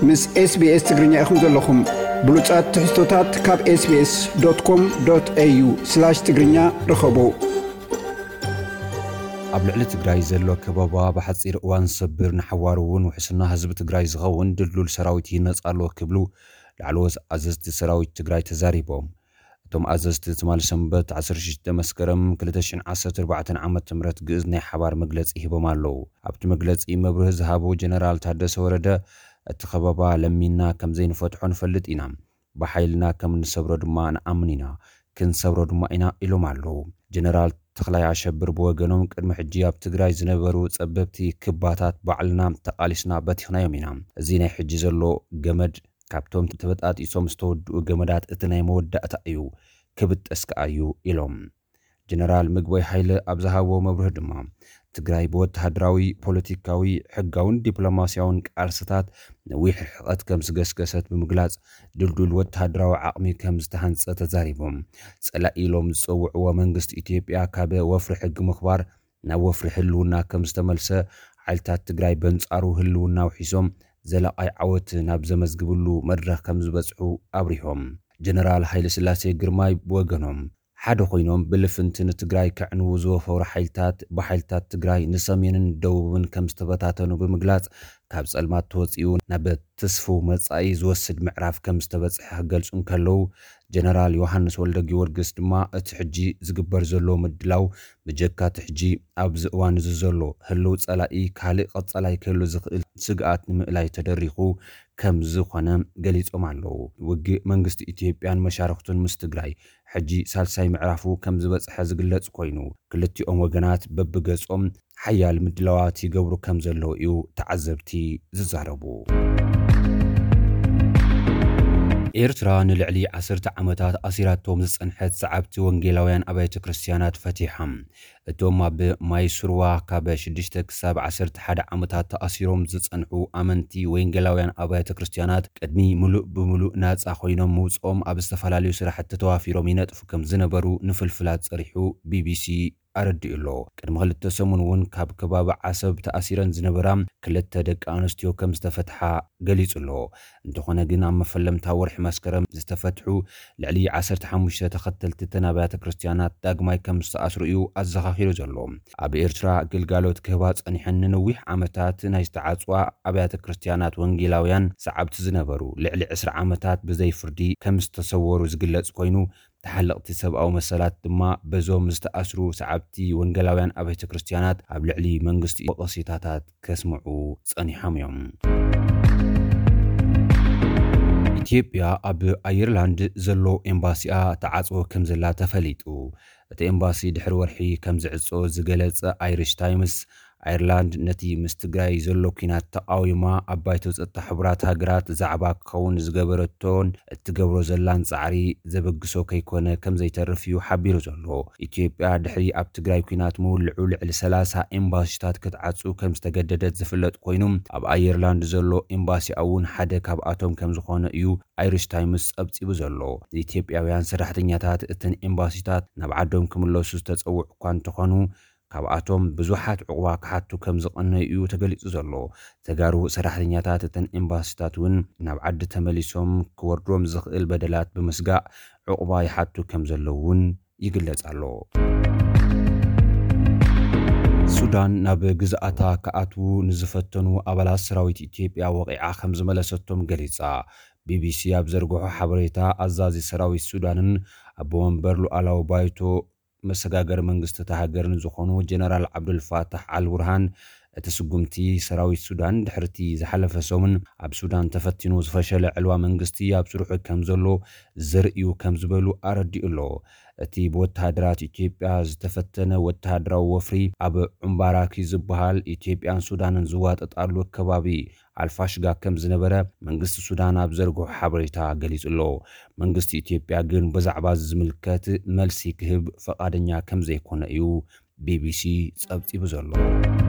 ምስ SBS ትግርኛ ኢኹም ዘለኹም። ብሉጻት ትሕዝቶታት ካብ SBS.com.au/ትግርኛ ርኸቡ። ኣብ ልዕሊ ትግራይ ዘሎ ከበባ ብሓጺር እዋን ሰብር፣ ንሓዋሩ እውን ውሕስና ህዝቢ ትግራይ ዝኸውን ድልዱል ሰራዊት ይህነጽ ኣሎ ክብሉ ላዕለዎት ኣዘዝቲ ሰራዊት ትግራይ ተዛሪቦም። እቶም ኣዘዝቲ ትማሊ ሰንበት ዓሰርተ ሽዱሽተ መስከረም ክልተ ሽሕን ዓሰርተ ኣርባዕተን ዓመተ ምህረት ግእዝ ናይ ሓባር መግለጺ ሂቦም ኣለዉ። ኣብቲ መግለጺ መብርሂ ዝሃቡ ጀነራል ታደሰ ወረደ፣ እቲ ከበባ ለሚንና ከም ዘይንፈትሖ ንፈልጥ ኢና። ብሓይልና ከም እንሰብሮ ድማ ንኣምን ኢና። ክንሰብሮ ድማ ኢና ኢሎም ኣለዉ። ጀነራል ተኽላይ ኣሸብር ብወገኖም፣ ቅድሚ ሕጂ ኣብ ትግራይ ዝነበሩ ጸበብቲ ክባታት ባዕልና ተቓሊስና በቲኽናዮም ኢና። እዚ ናይ ሕጂ ዘሎ ገመድ ካብቶም ተበጣጢሶም ዝተወድኡ ገመዳት እቲ ናይ መወዳእታ እዩ፣ ክብጠስ ከኣ እዩ ኢሎም። ጀነራል ምግበይ ሃይለ ኣብ ዝሃብዎ መብርሂ ድማ፣ ትግራይ ብወተሃደራዊ፣ ፖለቲካዊ፣ ሕጋውን ዲፕሎማስያውን ቃልስታት ነዊሕ ርሕቐት ከም ዝገስገሰት ብምግላጽ፣ ድልዱል ወተሃደራዊ ዓቕሚ ከም ዝተሃንጸ ተዛሪቦም። ጸላኢ ኢሎም ዝጸውዕዎ መንግስቲ ኢትዮጵያ ካብ ወፍሪ ሕጊ ምኽባር ናብ ወፍሪ ህልውና ከም ዝተመልሰ፣ ሓይልታት ትግራይ በንጻሩ ህልውና ውሒሶም ዘላቓይ ዓወት ናብ ዘመዝግብሉ መድረኽ ከም ዝበጽሑ ኣብሪሆም። ጀነራል ሃይለ ስላሴ ግርማይ ብወገኖም፣ ሓደ ኮይኖም ብልፍንቲ ንትግራይ ከዕንዉ ዝወፈሩ ሓይልታት፣ ብሓይልታት ትግራይ ንሰሜንን ደቡብን ከም ዝተበታተኑ ብምግላጽ፣ ካብ ጸልማት ተወጺኡ ናብ ትስፉው መጻኢ ዝወስድ ምዕራፍ ከም ዝተበጽሐ ክገልጹ እንከለዉ፣ ጀነራል ዮሃንስ ወልደ ጊዮርጊስ ድማ እቲ ሕጂ ዝግበር ዘሎ ምድላው ብጀካ እቲ ሕጂ ኣብዚ እዋን እዚ ዘሎ ህልው ጸላኢ ካልእ ቀጻላይ ክህሉ ዝኽእል ስግኣት ንምእላይ ተደሪኹ ከም ዝኾነ ገሊጾም ኣለዉ። ውግእ መንግስቲ ኢትዮጵያን መሻርኽቱን ምስ ትግራይ ሕጂ ሳልሳይ ምዕራፉ ከም ዝበጽሐ ዝግለጽ ኮይኑ፣ ክልቲኦም ወገናት በብገጾም ሓያል ምድላዋት ይገብሩ ከም ዘለዉ እዩ ተዓዘብቲ ዝዛረቡ። ኤርትራ ንልዕሊ ዓሰርተ ዓመታት ኣሲራቶም ዝጸንሐት ሰዓብቲ ወንጌላውያን ኣብያተ ክርስትያናት ፈቲሓ። እቶም ኣብ ማይ ስርዋ ካብ ሽዱሽተ ክሳብ ዓሰርተ ሓደ ዓመታት ተኣሲሮም ዝጸንሑ ኣመንቲ ወንጌላውያን ኣብያተ ክርስትያናት፣ ቅድሚ ምሉእ ብምሉእ ናጻ ኮይኖም ምውጽኦም፣ ኣብ ዝተፈላለዩ ስራሕቲ ተዋፊሮም ይነጥፉ ከም ዝነበሩ ንፍልፍላት ጸሪሑ ቢቢሲ ኣረዲኡ ኣሎ። ቅድሚ ክልተ ሰሙን እውን ካብ ከባቢ ዓሰብ ተኣሲረን ዝነበራ ክልተ ደቂ ኣንስትዮ ከም ዝተፈትሓ ገሊጹ ኣሎ። እንተኾነ ግን፣ ኣብ መፈለምታ ወርሒ መስከረም ዝተፈትሑ ልዕሊ ዓሰርተ ሓሙሽተ ተኸተልቲ እተን ኣብያተ ክርስትያናት ዳግማይ ከም ዝተኣስሩ እዩ ኣዘኻኺሩ ዘሎ። ኣብ ኤርትራ ግልጋሎት ክህባ ጸኒሐን ንነዊሕ ዓመታት ናይ ዝተዓጽዋ ኣብያተ ክርስትያናት ወንጌላውያን ሰዓብቲ ዝነበሩ፣ ልዕሊ ዕስራ ዓመታት ብዘይ ፍርዲ ከም ዝተሰወሩ ዝግለጽ ኮይኑ፣ ተሓለቕቲ ሰብኣዊ መሰላት ድማ በዞም ዝተኣስሩ ሰዓብቲ ወንጌላውያን ኣብያተ ክርስትያናት ኣብ ልዕሊ መንግስቲ ወቐሲታታት ከስምዑ ጸኒሖም እዮም። ኢትዮጵያ ኣብ ኣየርላንድ ዘሎ ኤምባሲኣ ተዓጽዎ ከም ዘላ ተፈሊጡ። እቲ ኤምባሲ ድሕሪ ወርሒ ከም ዝዕጾ ዝገለጸ ኣይሪሽ ታይምስ፣ ኣየርላንድ ነቲ ምስ ትግራይ ዘሎ ኲናት ተቓዊማ ኣብ ባይቶ ጸጥታ ሕቡራት ሃገራት ዛዕባ ክኸውን ዝገበረቶን እትገብሮ ዘላን ጻዕሪ ዘበግሶ ከይኮነ ከም ዘይተርፍ እዩ ሓቢሩ ዘሎ። ኢትዮጵያ ድሕሪ ኣብ ትግራይ ኲናት ምውልዑ ልዕሊ ሰላሳ ኤምባሲታት ክትዓጹ ከም ዝተገደደት ዝፍለጥ ኮይኑ፣ ኣብ ኣየርላንድ ዘሎ ኤምባሲኣ እውን ሓደ ካብኣቶም ከም ዝኾነ እዩ ኣይሪሽ ታይምስ ጸብጺቡ ዘሎ። ኢትዮጵያውያን ሰራሕተኛታት እተን ኤምባሲታት ናብ ዓዶም ክምለሱ ዝተጸውዑ እኳ እንተኾኑ፣ ካብኣቶም ብዙሓት ዕቑባ ክሓቱ ከም ዝቐነዩ እዩ ተገሊጹ ዘሎ። ተጋሩ ሰራሕተኛታት እተን ኤምባሲታት እውን ናብ ዓዲ ተመሊሶም ክወርዶም ዝኽእል በደላት ብምስጋእ ዕቑባ ይሓቱ ከም ዘለዉ እውን ይግለጽ ኣሎ። ሱዳን ናብ ግዝኣታ ክኣትዉ ንዝፈተኑ ኣባላት ሰራዊት ኢትዮጵያ ወቒዓ ከም ዝመለሰቶም ገሊጻ። ቢቢሲ ኣብ ዘርግሖ ሓበሬታ፣ ኣዛዚ ሰራዊት ሱዳንን ኣቦ መንበር ሉዓላዊ ባይቶ መሰጋገሪ መንግስቲ እታ ሃገርን ዝኾኑ ጀነራል ዓብዱልፋታሕ ኣልቡርሃን፣ እቲ ስጉምቲ ሰራዊት ሱዳን ድሕርቲ ዝሓለፈ ሰሙን ኣብ ሱዳን ተፈቲኑ ዝፈሸለ ዕልዋ መንግስቲ ኣብ ስርሑ ከም ዘሎ ዘርእዩ ከም ዝበሉ ኣረዲኡ ኣሎ። እቲ ብወተሃደራት ኢትዮጵያ ዝተፈተነ ወተሃደራዊ ወፍሪ ኣብ ዑምባራኪ ዝበሃል ኢትዮጵያን ሱዳንን ዝዋጠጣሉ ከባቢ ኣልፋሽጋ ከም ዝነበረ መንግስቲ ሱዳን ኣብ ዘርግሖ ሓበሬታ ገሊጹ ኣሎ። መንግስቲ ኢትዮጵያ ግን ብዛዕባ እዚ ዝምልከት መልሲ ክህብ ፈቓደኛ ከም ዘይኮነ እዩ ቢቢሲ ጸብጺቡ ዘሎ።